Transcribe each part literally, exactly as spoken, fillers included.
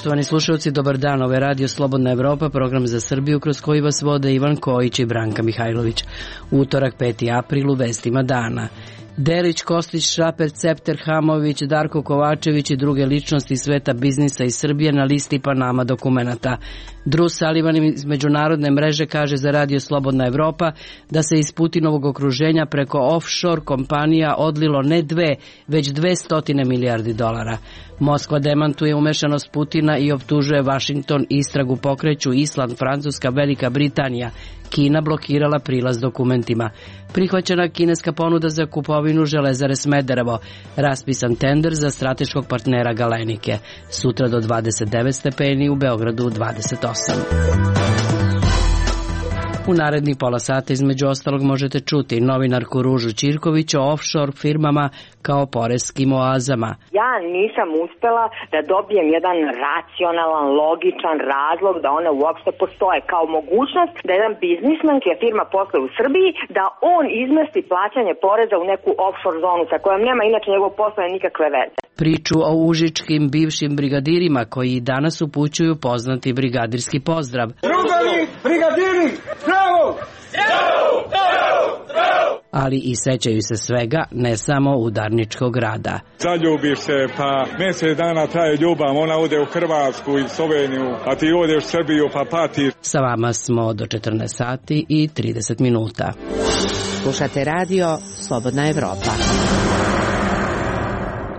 Poštovani slušalci, dobar dan. Ovo je Radio Slobodna Evropa, program za Srbiju kroz koji vas vode Ivan Kojić i Branka Mihajlović. Utorak, peti april, u vestima dana. Delić, Kostić, Šraper, Cepter, Hamović, Darko Kovačević i druge ličnosti sveta biznisa iz Srbije na listi Panama dokumenata. Drew Sullivan iz međunarodne mreže kaže za Radio Slobodna Evropa da se iz Putinovog okruženja preko offshore kompanija odlilo ne dve, već dve stotine milijardi dolara. Moskva demantuje umešanost Putina i optužuje Vašington, istragu pokreću Island, Francuska, Velika Britanija. Kina blokirala prilaz dokumentima. Prihvaćena kineska ponuda za kupovinu Železare Smederevo. Raspisan tender za strateškog partnera Galenike. Sutra do dvadeset devet stepeni, u Beogradu dvadeset osam. U narednih pola sata između ostalog možete čuti novinarku Ružu Ćirković o offshore firmama kao poreskim oazama. Ja nisam uspela da dobijem jedan racionalan, logičan razlog da one uopšte postoje kao mogućnost da jedan biznismen čija firma posluje u Srbiji, da on izmesti plaćanje poreza u neku offshore zonu sa kojom nema inače njegov posao nikakve veze. Priču o užičkim bivšim brigadirima koji danas upućuju poznati brigadirski pozdrav. Drugovi, brigadiri, bravo! Bravo! Bravo! Bravo! Ali i sećaju se svega, ne samo udarničkog rada. Zaljubiš se, pa mjesec dana traje ljubav, ona ode u Hrvatsku i Sloveniju, a ti odeš u Srbiju pa patiš. Sa vama smo do četrnaest sati i trideset minuta. Slušate radio Slobodna Evropa.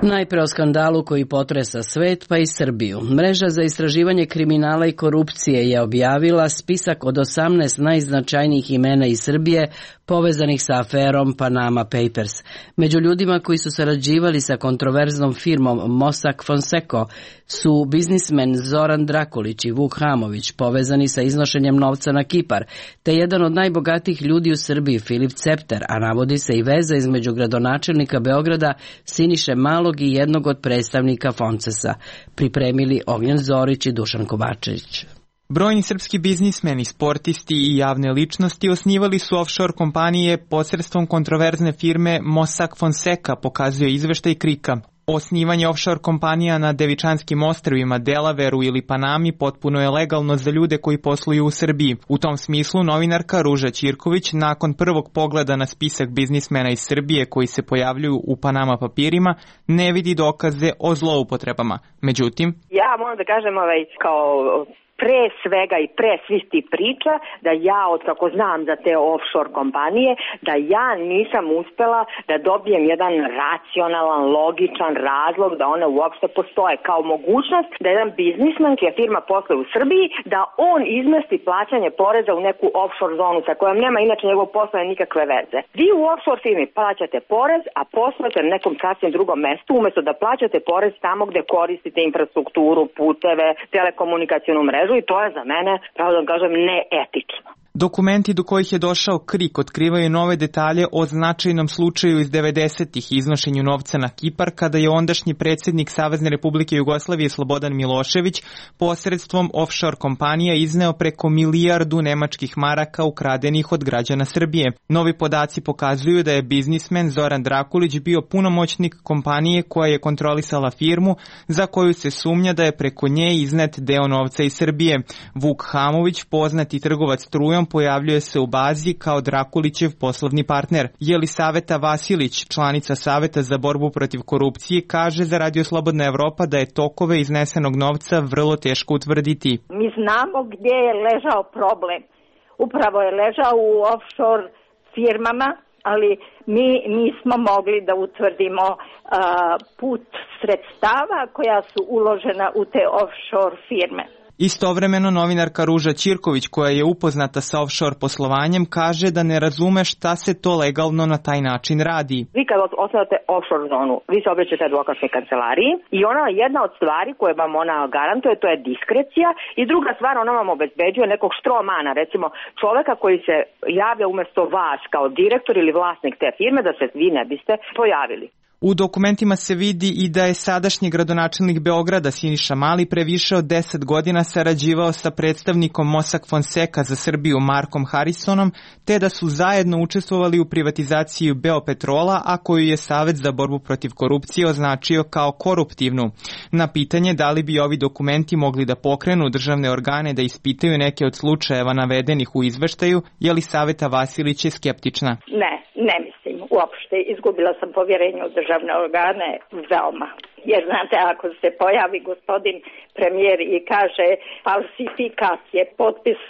Najpre o skandalu koji potresa svet pa i Srbiju. Mreža za istraživanje kriminala i korupcije je objavila spisak od osamnaest najznačajnijih imena iz Srbije povezanih sa aferom Panama Papers. Među ljudima koji su sarađivali sa kontroverznom firmom Mossack Fonseca su biznismen Zoran Drakulić i Vuk Hamović, povezani sa iznošenjem novca na Kipar, te jedan od najbogatijih ljudi u Srbiji, Filip Cepter, a navodi se i veza između gradonačelnika Beograda Siniše Malog i jednog od predstavnika Foncesa. Pripremili Ognjen Zorić i Dušan Kovačević. Brojni srpski biznismeni, sportisti i javne ličnosti osnivali su offshore kompanije posredstvom kontroverzne firme Mossack Fonseca, pokazuje izveštaj Krika. Osnivanje offshore kompanija na Devičanskim ostrvima, Delaveru ili Panami potpuno je legalno za ljude koji posluju u Srbiji. U tom smislu novinarka Ruža Ćirković nakon prvog pogleda na spisak biznismena iz Srbije koji se pojavljuju u Panama papirima ne vidi dokaze o zloupotrebama. Međutim, ja moram da kažem ovaj, kao pre svega i pre svih ti priča, da ja, od kako znam za te offshore kompanije, da ja nisam uspela da dobijem jedan racionalan, logičan razlog da one uopšte postoje kao mogućnost da jedan biznismen čija firma posluje u Srbiji, da on izmesti plaćanje poreza u neku offshore zonu sa kojom nema inače njegov posao nikakve veze. Vi u offshore firmi plaćate porez, a poslujete na nekom sasvim drugom mestu, umesto da plaćate porez tamo gde koristite infrastrukturu, puteve, telekomunikacionu mrežu, i to je za mene, pravo da kažem, neetično. Dokumenti do kojih je došao Krik otkrivaju nove detalje o značajnom slučaju iz devedesetih iznošenju novca na Kipar, kada je ondašnji predsjednik Savezne Republike Jugoslavije Slobodan Milošević posredstvom offshore kompanija izneo preko milijardu nemačkih maraka ukradenih od građana Srbije. Novi podaci pokazuju da je biznismen Zoran Drakulić bio punomoćnik kompanije koja je kontrolisala firmu za koju se sumnja da je preko nje iznet deo novca iz Srbije. Vuk Hamović, poznati trgovac strujom, pojavljuje se u bazi kao Drakulićev poslovni partner. Jelisaveta Vasilić, članica Saveta za borbu protiv korupcije, kaže za Radio Slobodna Evropa da je tokove iznesenog novca vrlo teško utvrditi. Mi znamo gdje je ležao problem. Upravo je ležao u offshore firmama, ali mi nismo mogli da utvrdimo uh, put sredstava koja su uložena u te offshore firme. Istovremeno novinarka Ruža Ćirković, koja je upoznata sa offshore poslovanjem, kaže da ne razume šta se to legalno na taj način radi. Vi kad osnovate offshore zonu, vi se obraćate advokatskoj kancelariji i ona jedna od stvari koje vam ona garantuje, to je diskrecija, i druga stvar, ona vam obezbeđuje nekog štromana, recimo čoveka koji se javlja umjesto vas kao direktor ili vlasnik te firme, da se vi ne biste pojavili. U dokumentima se vidi i da je sadašnji gradonačelnik Beograda Siniša Mali pre više od deset godina sarađivao sa predstavnikom Mossack Fonseca za Srbiju Markom Harrisonom, te da su zajedno učestvovali u privatizaciji Beopetrola, a koju je Savet za borbu protiv korupcije označio kao koruptivnu. Na pitanje da li bi ovi dokumenti mogli da pokrenu državne organe da ispitaju neke od slučajeva navedenih u izveštaju, Jelisaveta Vasilić je skeptična. Ne, ne mislim uopšte. Izgubila sam povjerenje u državne organe veoma. Jer znate, ako se pojavi gospodin premijer i kaže falsifikat je potpis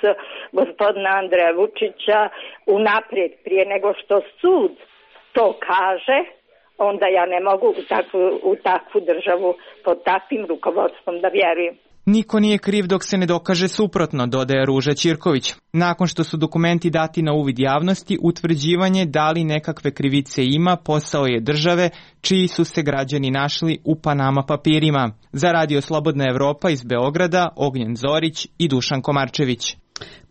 gospodina Andreja Vučića unaprijed prije nego što sud to kaže, onda ja ne mogu u takvu, u takvu državu pod takvim rukovodstvom da vjerujem. Niko nije kriv dok se ne dokaže suprotno, dodaje Ruža Ćirković. Nakon što su dokumenti dati na uvid javnosti, utvrđivanje da li nekakve krivice ima posao je države, čiji su se građani našli u Panama papirima. Za Radio Slobodna Evropa iz Beograda, Ognjen Zorić i Dušan Komarčević.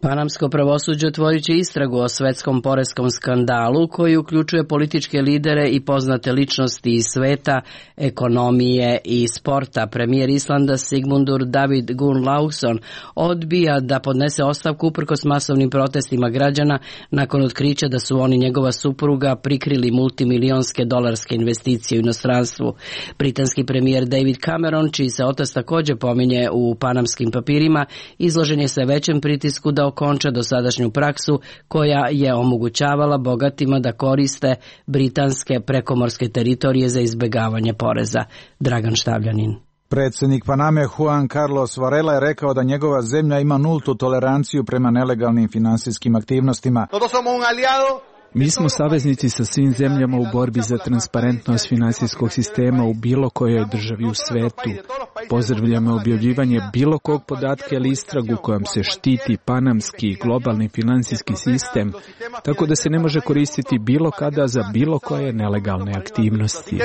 Panamsko pravosuđe otvorit će istragu o svetskom poreskom skandalu koji uključuje političke lidere i poznate ličnosti iz sveta, ekonomije i sporta. Premijer Islanda Sigmundur David Gunnlaugsson odbija da podnese ostavku uprkos masovnim protestima građana nakon otkrića da su on i njegova supruga prikrili multimilionske dolarske investicije u inostranstvu. Britanski premijer David Cameron, čiji se otac također pominje u panamskim papirima, izložen je sve većem pritisku da okonča dosadašnju praksu koja je omogućavala bogatima da koriste britanske prekomorske teritorije za izbjegavanje poreza. Dragan Štavljanin. Predsjednik Paname Juan Carlos Varela je rekao da njegova zemlja ima nultu toleranciju prema nelegalnim finansijskim aktivnostima. Mi smo saveznici sa svim zemljama u borbi za transparentnost finansijskog sistema u bilo kojoj državi u svetu. Pozdravljamo objavljivanje bilo kog podatka ili istragu kojom se štiti panamski i globalni finansijski sistem, tako da se ne može koristiti bilo kada za bilo koje nelegalne aktivnosti.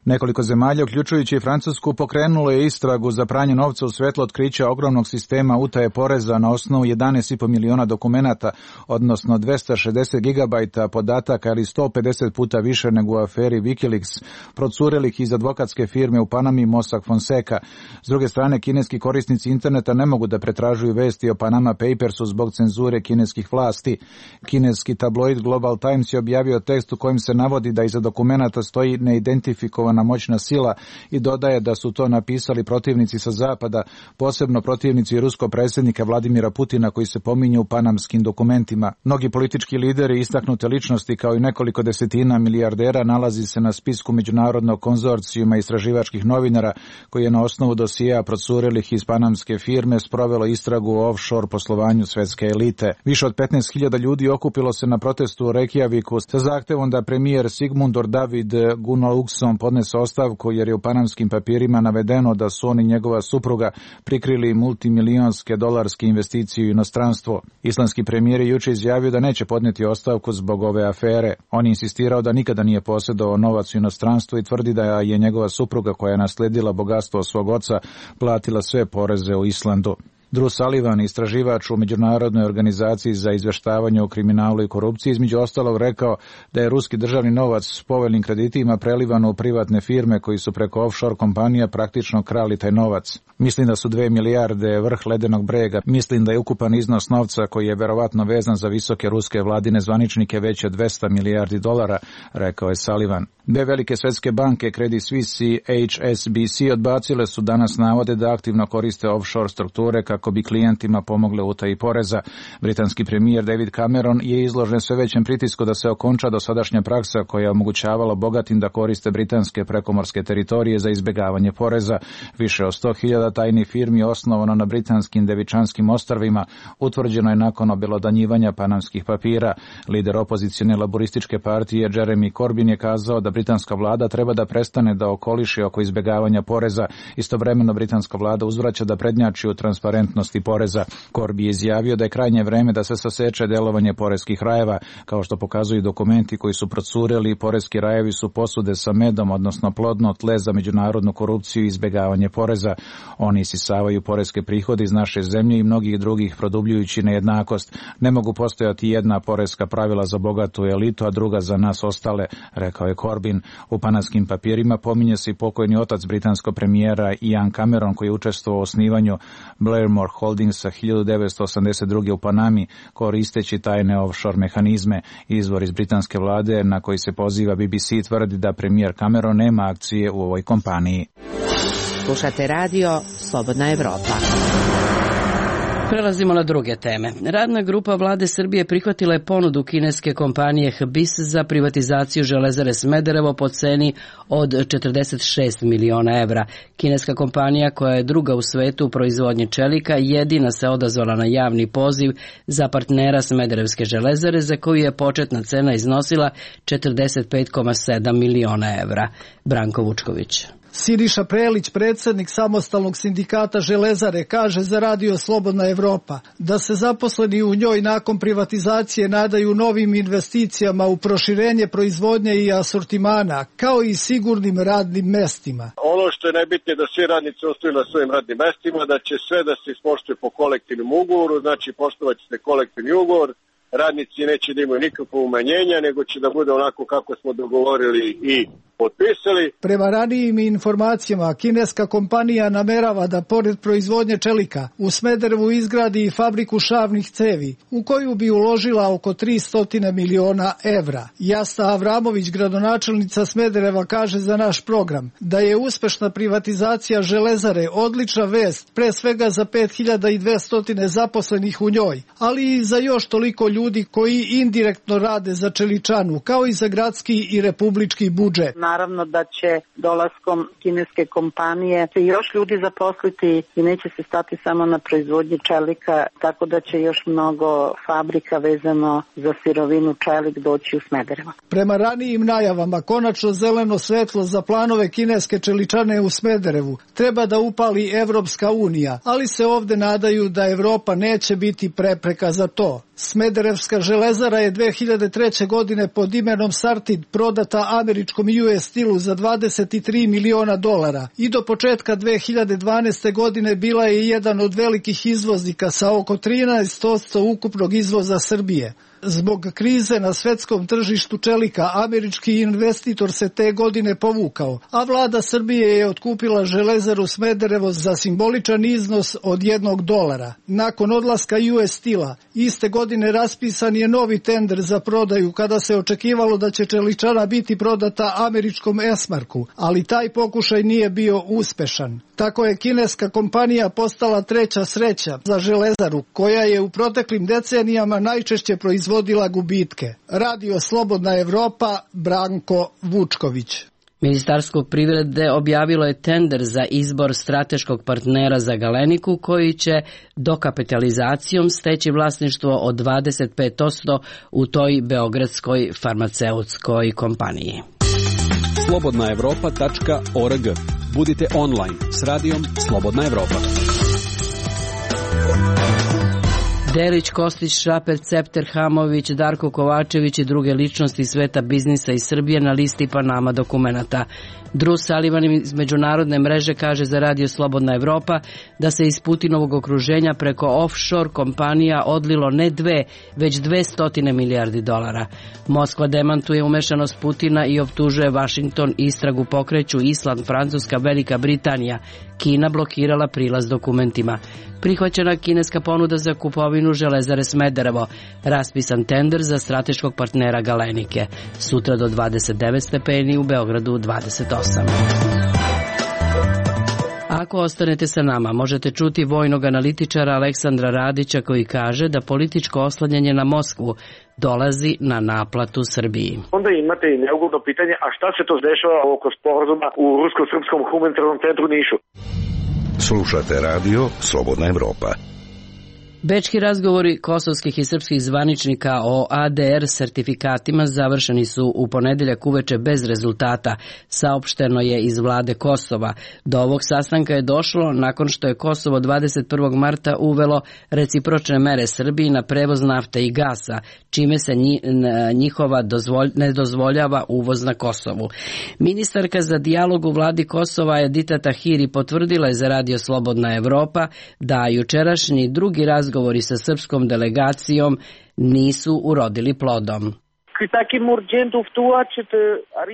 Nekoliko zemalja, uključujući i Francusku, pokrenulo je istragu za pranje novca u svetlu otkrića ogromnog sistema utaje poreza na osnovu jedanaest i po miliona dokumenata, odnosno dvesta šezdeset gigabajta podataka ili sto pedeset puta više nego u aferi Wikileaks, procurelih iz advokatske firme u Panami Mossack Fonseca. S druge strane, kineski korisnici interneta ne mogu da pretražuju vesti o Panama Papersu zbog cenzure kineskih vlasti. Kineski tabloid Global Times je objavio tekst u kojem se navodi da iza dokumenata stoji neidentifikovana moćna sila i dodaje da su to napisali protivnici sa zapada, posebno protivnici ruskog predsjednika Vladimira Putina koji se pominju u panamskim dokumentima. Mnogi politički lideri i istaknute ličnosti kao i nekoliko desetina milijardera nalazi se na spisku međunarodnog konzorcijuma istraživačkih novinara koji je na osnovu dosija procurelih iz panamske firme sprovelo istragu o offshore poslovanju svetske elite. Više od petnaest hiljada ljudi okupilo se na protestu u Reykjaviku sa zahtevom da premijer Sigmundur David Gunnlaugsson podnese ostavku jer je u panamskim papirima navedeno da su on i njegova supruga prikrili multimilionske dolarske investicije u inostranstvo. Islandski premijer je juče izjavio da neće podnijeti ostavku zbog ove afere. On je insistirao da nikada nije posjedovao novac u inostranstvu i tvrdi da je njegova supruga koja je nasledila bogatstvo svog oca platila sve poreze u Islandu. Drew Sullivan, istraživač u Međunarodnoj organizaciji za izveštavanje o kriminalu i korupciji, između ostalog rekao da je ruski državni novac s povoljnim kreditima prelivan u privatne firme koji su preko offshore kompanija praktično krali taj novac. Mislim da su dve milijarde vrh ledenog brega. Mislim da je ukupan iznos novca koji je verovatno vezan za visoke ruske vladine zvaničnike veće od dvesta milijardi dolara, rekao je Sullivan. Dve velike svetske banke, Credit Suisse i H S B C, odbacile su danas navode da aktivno koriste offshore strukture kako bi klijentima pomogle u utaji poreza. Britanski premijer David Cameron je izložen sve većem pritisku da se okonča dosadašnja praksa koja je omogućavala bogatim da koriste britanske prekomorske teritorije za izbjegavanje poreza. Više od sto hiljada tajnih firmi osnovano na britanskim Devičanskim ostrvima utvrđeno je nakon obelodanjivanja panamskih papira. Lider opozicione laborističke partije Jeremy Corbyn je kazao da britanska vlada treba da prestane da okoliši oko izbjegavanja poreza. Istovremeno britanska vlada uzvraća da prednjači u transparentnosti transparentnosti poreza. Korbi je izjavio da je krajnje vreme da se saseče delovanje poreskih rajeva, kao što pokazuju dokumenti koji su procureli. Poreski rajevi su posude sa medom, odnosno plodno tle za međunarodnu korupciju i izbegavanje poreza. Oni isisavaju poreske prihode iz naše zemlje i mnogih drugih, produbljujući nejednakost. Ne mogu postojati jedna poreska pravila za bogatu elitu, a druga za nas ostale, rekao je Corbyn. U pananskim papirima pominje se i pokojni otac britanskog premijera Ian Cameron, koji je učestvovao u osnivanju Blairmore Holdingsa hiljadu devetsto osamdeset druge u Panami, koristeći tajne offshore mehanizme. Izvor iz britanske vlade na koji se poziva B B C tvrdi da premijer Cameron nema akcije u ovoj kompaniji. Slušate radio Slobodna Evropa. Prelazimo na druge teme. Radna grupa vlade Srbije prihvatila je ponudu kineske kompanije H B I S za privatizaciju Železare Smederevo po ceni od četrdeset šest miliona evra. Kineska kompanija, koja je druga u svetu u proizvodnji čelika, jedina se odazvala na javni poziv za partnera Smederevske železare, za koju je početna cena iznosila četrdeset pet zarez sedam miliona evra. Branko Vučković. Siniša Prelić, predsjednik samostalnog sindikata Železare, kaže za radio Slobodna Evropa da se zaposleni u njoj nakon privatizacije nadaju novim investicijama u proširenje proizvodnje i asortimana, kao i sigurnim radnim mestima. Ono što je najbitnije da svi radnici ostaju na svojim radnim mestima, da će sve da se ispoštuje po kolektivnom ugovoru, znači poštovat će se kolektivni ugovor, radnici neće da imaju nikakvo umanjenja, nego će da bude onako kako smo dogovorili i potpisali. Prema ranijim informacijama, kineska kompanija namerava da pored proizvodnje čelika u Smederevu izgradi i fabriku šavnih cevi, u koju bi uložila oko tristo miliona evra. Jasta Avramović, gradonačelnica Smedereva, kaže za naš program da je uspešna privatizacija Železare odlična vest, pre svega za pet hiljada dvesta zaposlenih u njoj, ali i za još toliko ljudi koji indirektno rade za čeličanu, kao i za gradski i republički budžet. Naravno da će dolaskom kineske kompanije se još ljudi zaposliti i neće se stati samo na proizvodnji čelika, tako da će još mnogo fabrika vezano za sirovinu čelik doći u Smederevo. Prema ranijim najavama, konačno zeleno svetlo za planove kineske čeličane u Smederevu treba da upali Evropska unija, ali se ovde nadaju da Evropa neće biti prepreka za to. Smederevska železara je dve hiljade treće. godine pod imenom Sartid prodata američkom U S Steel-u za dvadeset tri miliona dolara i do početka dve hiljade dvanaeste. godine bila je jedan od velikih izvoznika sa oko trinaest posto ukupnog izvoza Srbije. Zbog krize na svetskom tržištu čelika, američki investitor se te godine povukao, a vlada Srbije je otkupila Železaru Smederevo za simboličan iznos od jednog dolara. Nakon odlaska U S Steel-a, iste godine raspisan je novi tender za prodaju, kada se očekivalo da će čeličana biti prodata američkom Esmarku, ali taj pokušaj nije bio uspešan. Tako je kineska kompanija postala treća sreća za Železaru, koja je u proteklim decenijama najčešće proizvodila gubitke. Radio Slobodna Evropa, Branko Vučković. Ministarstvo privrede objavilo je tender za izbor strateškog partnera za Galeniku, koji će dokapitalizacijom steći vlasništvo od dvadeset pet posto u toj beogradskoj farmaceutskoj kompaniji. slobodna evropa tačka org. Budite online s radijom Slobodna Evropa. Delić, Kostić, Šraper, Cepter, Hamović, Darko Kovačević i druge ličnosti sveta biznisa iz Srbije na listi Panama dokumenata. Drew Sullivan iz međunarodne mreže kaže za radio Slobodna Evropa da se iz Putinovog okruženja preko offshore kompanija odlilo ne dve, već dve stotine milijardi dolara. Moskva demantuje umešanost Putina i optužuje Vašington, istragu pokreću Island, Francuska, Velika Britanija. Kina blokirala prilaz dokumentima. Prihvaćena kineska ponuda za kupovinu Železare Smederevo. Raspisan tender za strateškog partnera Galenike. Sutra do dvadeset devet stepeni, u Beogradu dvadeset osam. Ako ostanete sa nama, možete čuti vojnog analitičara Aleksandra Radića, koji kaže da političko oslanjanje na Moskvu dolazi na naplatu Srbiji. Onda imate i neugodno pitanje, a šta se to dešava oko sporazuma u Rusko-srpskom humanitarnom centru Nišu? Slušate radio Slobodna Evropa. Bečki razgovori kosovskih i srpskih zvaničnika o A D R sertifikatima završeni su u ponedeljak uveče bez rezultata, saopšteno je iz vlade Kosova. Do ovog sastanka je došlo nakon što je Kosovo dvadeset prvog marta uvelo recipročne mere Srbiji na prevoz nafte i gasa, čime se njihova dozvolj, ne dozvoljava uvoz na Kosovu. Ministarka za dijalog u vladi Kosova Edita Tahiri potvrdila je za Radio Slobodna Evropa da jučerašnji drugi razgovor Razgovori sa srpskom delegacijom nisu urodili plodom.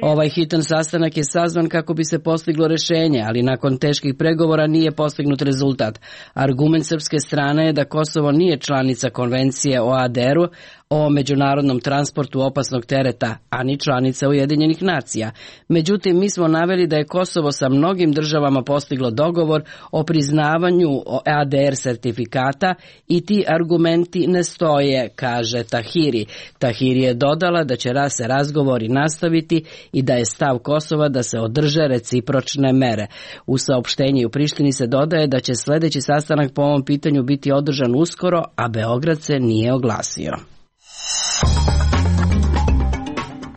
Ovaj hitan sastanak je sazvan kako bi se postiglo rešenje, ali nakon teških pregovora nije postignut rezultat. Argument srpske strane je da Kosovo nije članica konvencije o A D R-u, o međunarodnom transportu opasnog tereta, a ni članica Ujedinjenih nacija. Međutim, mi smo naveli da je Kosovo sa mnogim državama postiglo dogovor o priznavanju A D R sertifikata i ti argumenti ne stoje, kaže Tahiri. Tahiri je dodala da će se razgovori nastaviti i da je stav Kosova da se održe recipročne mere. U saopštenju u Prištini se dodaje da će sljedeći sastanak po ovom pitanju biti održan uskoro, a Beograd se nije oglasio.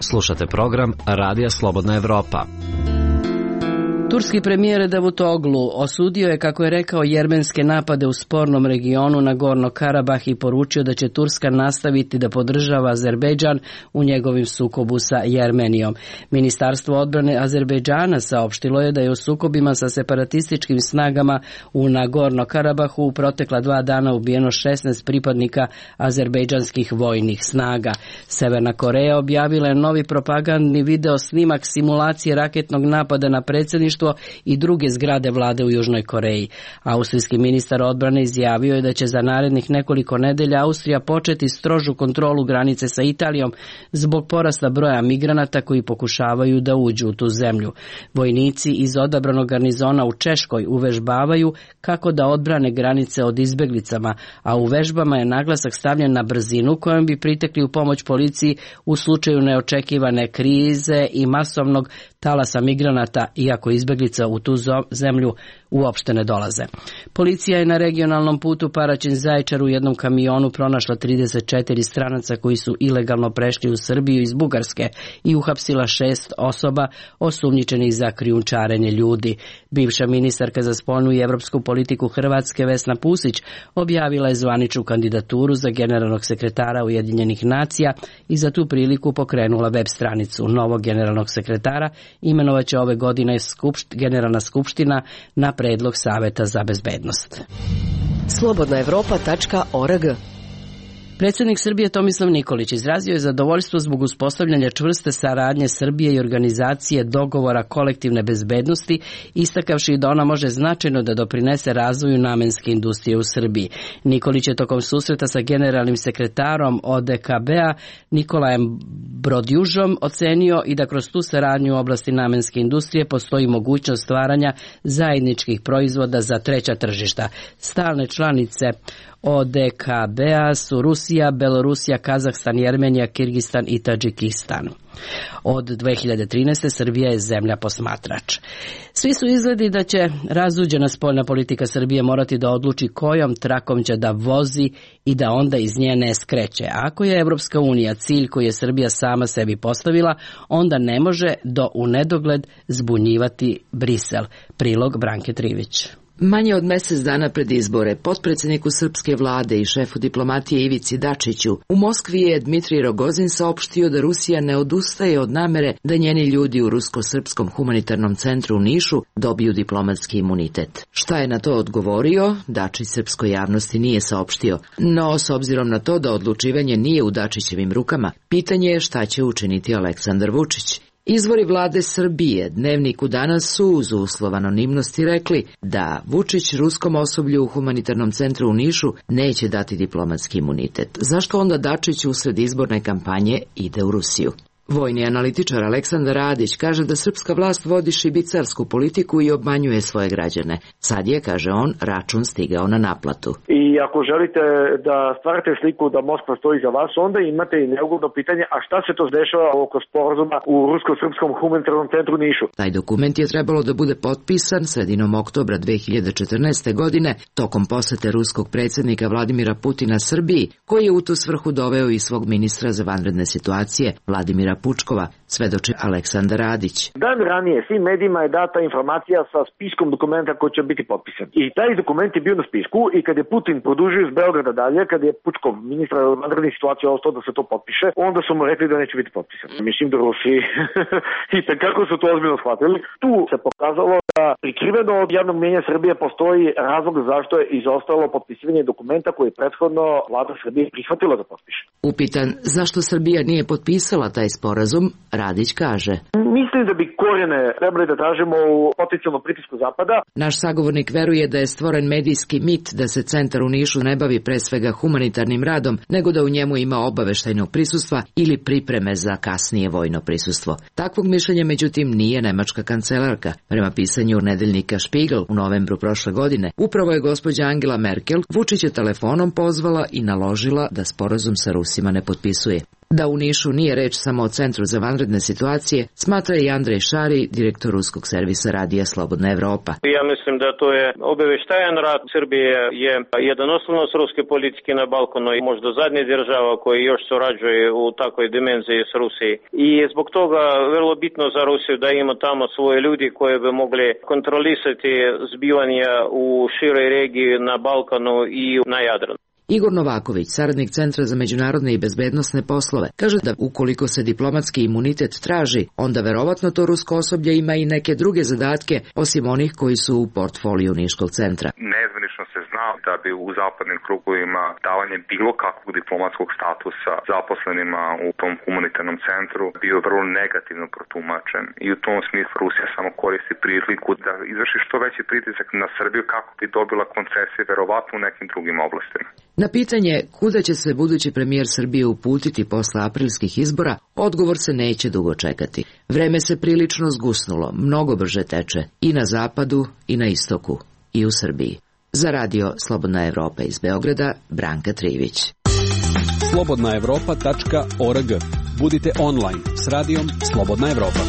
Slušate program Radija Slobodna Evropa. Turski premijer Davutoglu osudio je, kako je rekao, jermenske napade u spornom regionu na Gorno Karabah i poručio da će Turska nastaviti da podržava Azerbejdžan u njegovim sukobu sa Jermenijom. Ministarstvo odbrane Azerbejdžana saopštilo je da je u sukobima sa separatističkim snagama u Nagorno Karabahu u protekla dva dana ubijeno šesnaest pripadnika azerbejdžanskih vojnih snaga. Severna Koreja objavila je novi propagandni video snimak simulacije raketnog napada na predsjedništvo i druge zgrade vlade u Južnoj Koreji. Austrijski ministar odbrane izjavio je da će za narednih nekoliko nedelja Austrija početi strožu kontrolu granice sa Italijom zbog porasta broja migranata koji pokušavaju da uđu u tu zemlju. Vojnici iz odabranog garnizona u Češkoj uvežbavaju kako da odbrane granice od izbeglicama, a u vežbama je naglasak stavljen na brzinu kojom bi pritekli u pomoć policiji u slučaju neočekivane krize i masovnog talasa migranata, iako izbeglica u tu zemlju uopšte ne dolaze. Policija je na regionalnom putu Paraćin-Zaječar u jednom kamionu pronašla trideset četiri stranaca koji su ilegalno prešli u Srbiju iz Bugarske i uhapsila šest osoba osumnjičenih za krijumčarenje ljudi. Bivša ministarka za spoljnu i evropsku politiku Hrvatske Vesna Pusić objavila je zvaničnu kandidaturu za generalnog sekretara Ujedinjenih nacija i za tu priliku pokrenula web stranicu. Novog generalnog sekretara imenovaće ove godine skupšt, generalna skupština na predlog Saveta za bezbednost. slobodna evropa tačka org. Predsjednik Srbije Tomislav Nikolić izrazio je zadovoljstvo zbog uspostavljanja čvrste saradnje Srbije i organizacije dogovora kolektivne bezbednosti, istakavši da ona može značajno da doprinese razvoju namenske industrije u Srbiji. Nikolić je tokom susreta sa generalnim sekretarom O D K B-a Nikolajem Brodjužom ocenio i da kroz tu saradnju u oblasti namenske industrije postoji mogućnost stvaranja zajedničkih proizvoda za treća tržišta. Stalne članice O D K B-a su Rusija, Belorusija, Kazahstan, Jermenija, Kirgistan i Tadžikistan. Od dve hiljade trinaeste. Srbija je zemlja posmatrač. Svi su izgledi da će razuđena spoljna politika Srbije morati da odluči kojom trakom će da vozi i da onda iz nje ne skreće. Ako je Evropska unija cilj koji je Srbija sama sebi postavila, onda ne može do u nedogled zbunjivati Brisel. Prilog Branke Trivić. Manje od mjesec dana pred izbore, potpredsjedniku srpske vlade i šefu diplomatije Ivici Dačiću, u Moskvi je Dmitrij Rogozin saopštio da Rusija ne odustaje od namere da njeni ljudi u Rusko-srpskom humanitarnom centru u Nišu dobiju diplomatski imunitet. Šta je na to odgovorio, Dačić srpskoj javnosti nije saopštio, no s obzirom na to da odlučivanje nije u Dačićevim rukama, pitanje je šta će učiniti Aleksandar Vučić. Izvori vlade Srbije Dnevniku danas su uz uslov anonimnosti rekli da Vučić ruskom osoblju u humanitarnom centru u Nišu neće dati diplomatski imunitet. Zašto onda Dačić usred izborne kampanje ide u Rusiju? Vojni analitičar Aleksandar Radić kaže da srpska vlast vodi šibicarsku politiku i obmanjuje svoje građane. Sad je, kaže on, račun stigao na naplatu. I ako želite da stvarate sliku da Moskva stoji za vas, onda imate i neugodno pitanje, a šta se to dešava oko sporazuma u Rusko-srpskom humanitarnom centru Nišu? Taj dokument je trebalo da bude potpisan sredinom oktobra dve hiljade četrnaeste. godine tokom posete ruskog predsjednika Vladimira Putina Srbiji, koji je u tu svrhu doveo i svog ministra za vanredne situacije Vladimira Pučkova, svedoči Aleksandar Radić. Dan ranije svim medijima je data informacija sa spiskom dokumenta koji će biti potpisan. I taj dokument je bio na spisku i kad je Putin produžio iz Beograda dalje, kad je Pučkov, ministra vanrednih situacija, ostao da se to potpiše, onda su mu rekli da neće biti potpisan. Mislim da Rusi i tako su to ozbiljno shvatili. Tu se pokazalo da prikriveno od javnog mnjenja Srbije postoji razlog zašto je izostalo potpisivanje dokumenta koji je prethodno vlada Srbije prihvatila da potpiše. Upitan zašto Srbija nije potpisala taj sporazum, Radić kaže: Mislim da bi korijene trebali da tražimo u potencijalnom pritisku Zapada. Naš sagovornik veruje da je stvoren medijski mit da se centar u Nišu ne bavi pre svega humanitarnim radom, nego da u njemu ima obaveštajnog prisustva ili pripreme za kasnije vojno prisustvo. Takvog mišljenja međutim nije nemačka kancelarka. Prema pisanju nedeljnika Spiegel u novembru prošle godine, upravo je gospođa Angela Merkel Vučića telefonom pozvala i naložila da sporazum sa Rusima ne potpisuje. Da u Nišu nije reč samo o Centru za vanredne situacije, smatra i Andrej Šari, direktor ruskog servisa Radija Slobodna Evropa. Ja mislim da to je obaveštajan rad. Srbije je jedan osnovnost ruske politike na Balkanu i možda zadnja država koja još surađuje u takvoj dimenziji s Rusiji. I zbog toga vrlo bitno za Rusiju da ima tamo svoje ljudi koji bi mogli kontrolisati zbivanja u široj regiji na Balkanu i na Jadranu. Igor Novaković, saradnik Centra za međunarodne i bezbednosne poslove, kaže da ukoliko se diplomatski imunitet traži, onda verovatno to rusko osoblje ima i neke druge zadatke, osim onih koji su u portfoliju Niškog centra. Nezvanično se zna da bi u zapadnim krugovima davanje bilo kakvog diplomatskog statusa zaposlenima u tom humanitarnom centru bio vrlo negativno protumačen. I u tom smislu Rusija samo koristi priliku da izvrši što veći pritisak na Srbiju kako bi dobila koncesije verovatno u nekim drugim oblastima. Na pitanje kuda će se budući premijer Srbije uputiti posle aprilskih izbora, odgovor se neće dugo čekati. Vreme se prilično zgusnulo, mnogo brže teče i na zapadu i na istoku i u Srbiji. Za radio Slobodna Evropa iz Beograda, Branka Trivić. slobodna evropa tačka org. Budite online s radijom Slobodna Evropa.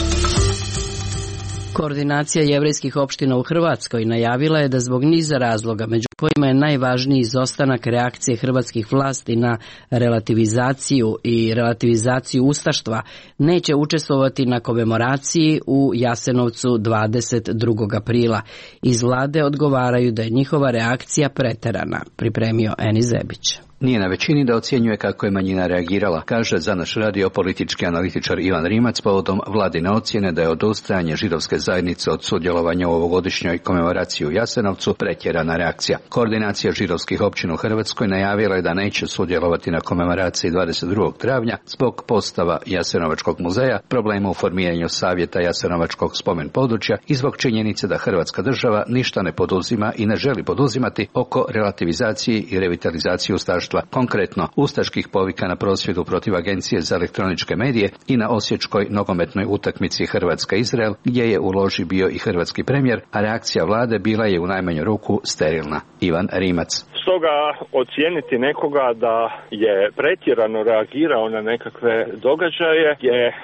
Koordinacija jevrejskih opština u Hrvatskoj najavila je da zbog niza razloga, među kojima je najvažniji izostanak reakcije hrvatskih vlasti na relativizaciju i relativizaciju ustaštva, neće učestvovati na komemoraciji u Jasenovcu dvadeset drugog aprila. Iz vlade odgovaraju da je njihova reakcija preterana, pripremio Eni Zebić. Nije na većini da ocjenjuje kako je manjina reagirala, kaže za naš radio politički analitičar Ivan Rimac povodom vladine ocjene da je odustajanje židovske zajednice od sudjelovanja u ovogodišnjoj komemoraciji u Jasenovcu pretjerana reakcija. Koordinacija židovskih općina u Hrvatskoj najavila je da neće sudjelovati na komemoraciji dvadeset drugog travnja zbog postava Jasenovačkog muzeja, problema u formiranju savjeta Jasenovačkog spomen područja i zbog činjenice da Hrvatska država ništa ne poduzima i ne želi poduzimati oko relativizacije i revitalizacije ustaštva. Konkretno, ustaških povika na prosvjedu protiv Agencije za elektroničke medije i na osječkoj nogometnoj utakmici Hrvatska-Izrael, gdje je u loži bio i hrvatski premijer, a reakcija vlade bila je u najmanju ruku sterilna. Ivan Rimac. Stoga ocijeniti nekoga da je pretjerano reagirao na nekakve događaje je,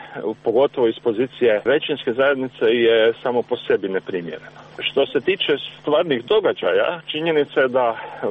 pogotovo iz pozicije većinske zajednice, je samo po sebi neprimjereno. Što se tiče stvarnih događaja, činjenica je da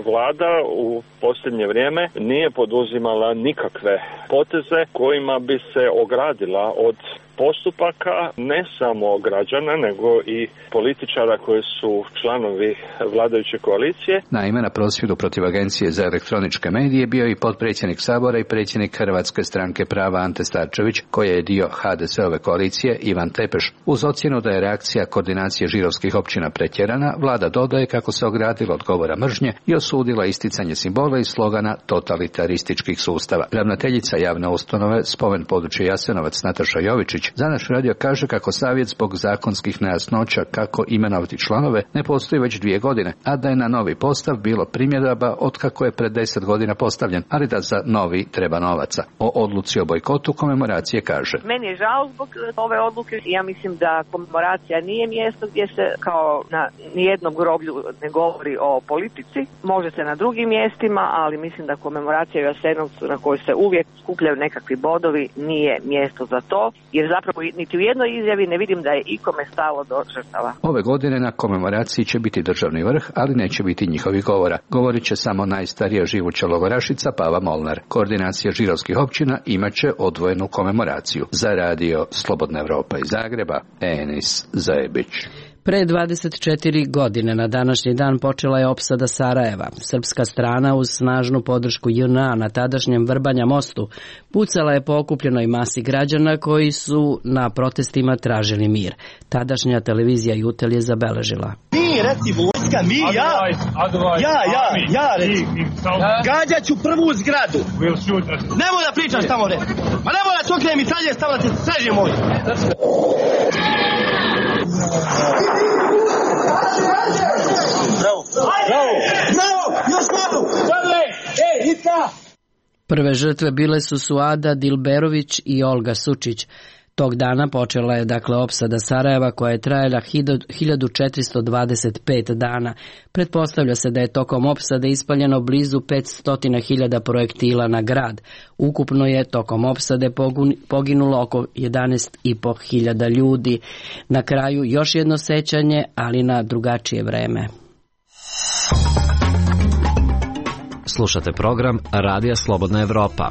vlada u posljednje vrijeme nije poduzimala nikakve poteze kojima bi se ogradila od postupaka ne samo građana, nego i političara koji su članovi vladajuće koalicije. Naime, na prosvjedu protiv Agencije za elektroničke medije bio i potpredsjednik Sabora i predsjednik Hrvatske stranke prava Ante Starčević, koji je dio ha de se ove koalicije, Ivan Tepeš. Uz ocjenu da je reakcija koordinacije židovskih općina pretjerana, vlada dodaje kako se ogradila od govora mržnje i osudila isticanje simbola i slogana totalitarističkih sustava. Ravnateljica javne ustanove Spomen područja Jasenovac Nataša Jovičić Za naš radio kaže kako savjet zbog zakonskih nejasnoća kako imenovati članove ne postoji već dvije godine, a da je na novi postav bilo primjedaba od kako je pred deset godina postavljen, ali da za novi treba novaca. O odluci o bojkotu komemoracije kaže: Meni je žao zbog ove odluke. Ja mislim da komemoracija nije mjesto gdje se kao na nijednom groblju ne govori o politici. Može se na drugim mjestima, ali mislim da komemoracija u Jasenovcu na kojoj se uvijek skupljaju nekakvi bodovi nije mjesto za to, jer zapravo niti u jednoj izjavi ne vidim da je ikome stalo do žrtava. Ove godine na komemoraciji će biti državni vrh, ali neće biti njihovih govora. Govorit će samo najstarija živuća logorašica Pava Molnar. Koordinacija židovskih općina imaće odvojenu komemoraciju. Za radio Slobodna Evropa iz Zagreba, Enis Zajebić. Pre dvadeset četiri godine na današnji dan počela je opsada Sarajeva. Srpska strana uz snažnu podršku J N A na tadašnjem Vrbanja mostu pucala je po okupljenoj masi građana koji su na protestima tražili mir. Tadašnja televizija Jutel je zabeležila: Mi, recimo, vojska, mi, ja, ja, ja, ja, recimo, gađat ću prvu zgradu. Nemoj da pričaš tamo, re. Ma nemoj da čokne mi salje stavljate, sređe moj. Bravo, bravo, bravo, još malo. Ej, Ica! Prve žrtve bile su Suada Dilberović i Olga Sučić. Tog dana počela je dakle opsada Sarajeva koja je trajala hiljadu četiristo dvadeset pet dana. Pretpostavlja se da je tokom opsade ispaljeno blizu petsto hiljada projektila na grad. Ukupno je tokom opsade poginulo oko jedanaest i po hiljada ljudi. Na kraju još jedno sećanje, ali na drugačije vreme. Slušate program Radija Slobodna Evropa.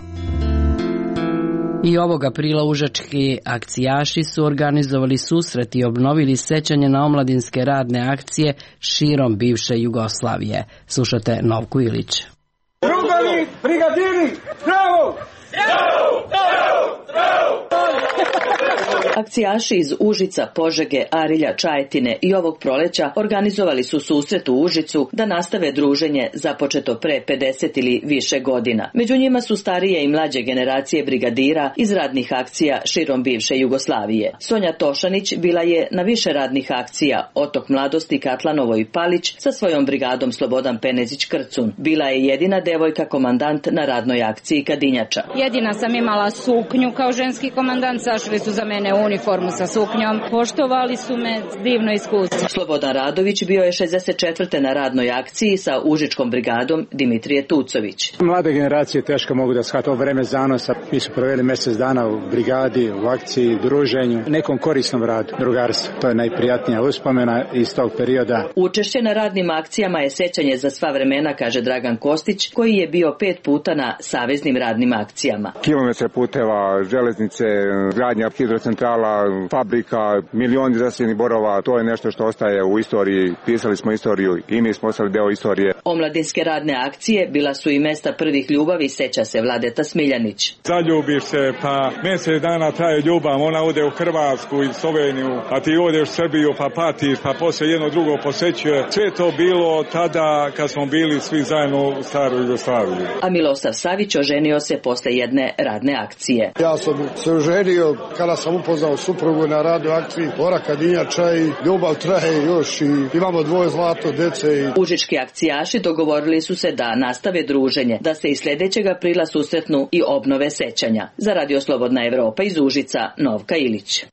I ovog aprila užački akcijaši su organizovali susret i obnovili sećanje na omladinske radne akcije širom bivše Jugoslavije. Slušate Novku Ilić. Drugovi, brigadiri, bravo! Bravo! Bravo! Bravo! Akcijaši iz Užica, Požege, Arilja, Čajetine i ovog proleća organizovali su susret u Užicu da nastave druženje započeto pre pedeset ili više godina. Među njima su starije i mlađe generacije brigadira iz radnih akcija širom bivše Jugoslavije. Sonja Tošanić bila je na više radnih akcija, Otok mladosti Katlanovo i Palić sa svojom brigadom Slobodan Penezić-Krcun. Bila je jedina devojka komandant na radnoj akciji Kadinjača. Jedina sam imala suknju kao ženski komandant, sašli su za mene uniformu sa suknjom, poštovali su me, divno iskustvo. Slobodan Radović bio je šezdeset četvrte na radnoj akciji sa Užičkom brigadom Dimitrije Tucović. Mlade generacije teško mogu da shvate ovo vreme zanosa. Mi su proveli mjesec dana u brigadi, u akciji, druženju, nekom korisnom radu, drugarstvu. To je najprijatnija uspomena iz tog perioda. Učešće na radnim akcijama je sećanje za sva vremena, kaže Dragan Kostić, koji je bio pet puta na saveznim radnim akcijama. Kilometre puteva, železnice, gradnja hidrocentrala, fabrika, milioni zaseljenih borova, to je nešto što ostaje u istoriji. Pisali smo istoriju i mi smo ostali deo istorije. Omladinske radne akcije bila su i mesta prvih ljubavi, seća se Vladeta Smiljanić. Zaljubiš se, pa mjesec dana traje ljubav, ona ode u Hrvatsku i Sloveniju, a ti odeš u Srbiju pa patiš, pa poslije jedno drugo posećuje. Sve to bilo tada kad smo bili svi zajedno u staroj Jugoslaviji. A Milosav Savić oženio se posle jedne radne akcije. Ja sam se oženio kada sam upoznao suprugu na radnoj akciji Ora Kadinjača i ljubav traje još i imamo dvoje zlato dece. I... Užički akcijaši dogovorili su se da nastave druženje, da se i sljedećeg aprila susretnu i obnove sećanja. Za Radio Slobodna Evropa iz Užica, Novka Ilić.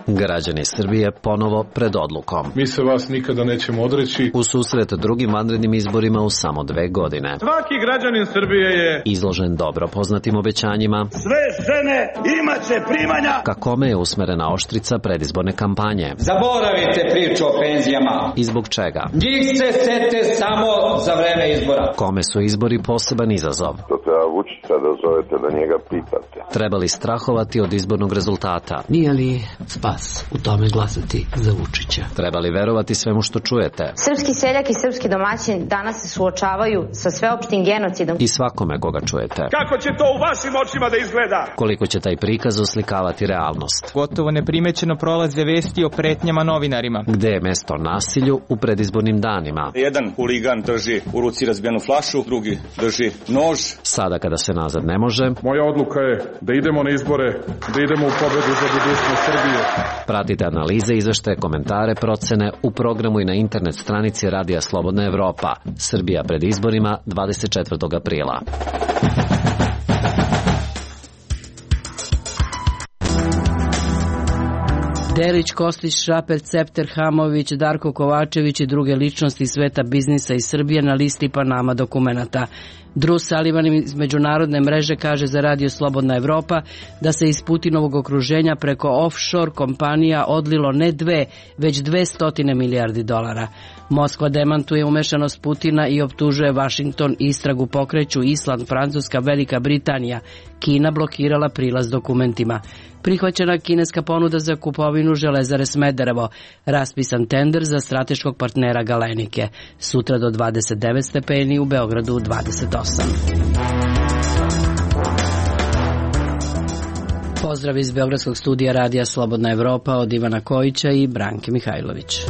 Građani Srbije ponovo pred odlukom. Mi se vas nikada nećemo odreći. U susret drugim vanrednim izborima u samo dve godine. Svaki građanin Srbije je izložen dobro poznatim obećanjima. Sve žene imaće primanja. Ka kome je usmerena oštrica predizborne kampanje. Zaboravite priču o penzijama. I zbog čega? Njih se sete samo za vreme izbora. Kome su izbori poseban izazov? To treba Vučića da zovete, da njega pitate. Treba li strahovati od izbornog rezultata? Nije li spas u tome glasati za Vučića? Treba li verovati svemu što čujete? Srpski seljak i srpski domaćin danas se suočavaju sa sveopštim genocidom. I svakome koga čujete. Kako će to u vašim očima da izgleda? Koliko će taj prikaz oslikavati realnost? Gotovo neprimećeno prolaze vesti o pretnjama novinarima. Gde je mesto nasilju u predizbornim danima? Jedan huligan drži u ruci razbijenu flašu, drugi drži nož. Sada kada se nazad ne može. Moja odluka je da idemo na izbore, da idemo u pobedu za budućnost Srbije. Pratite analize, izveštaje, komentare, procene u programu i na internet stranici Radija Slobodna Evropa. Srbija pred izborima dvadeset četvrtog aprila. Delić, Kostić, Šraper, Cepter, Hamović, Darko Kovačević i druge ličnosti sveta biznisa iz Srbije na listi Panama dokumenata. Drew Sullivan iz međunarodne mreže kaže za Radio Slobodna Evropa da se iz Putinovog okruženja preko offshore kompanija odlilo ne dve, već dve stotine milijardi dolara. Moskva demantuje umešanost Putina i optužuje Vašington, istragu pokreću Island, Francuska, Velika Britanija. Kina blokirala prilaz dokumentima. Prihvaćena kineska ponuda za kupovinu Železare Smederevo. Raspisan tender za strateškog partnera Galenike. Sutra do dvadeset devet stepeni, u Beogradu dvadeset osam. Pozdrav iz Beogradskog studija Radija Slobodna Evropa od Ivana Kojića i Branke Mihajlović.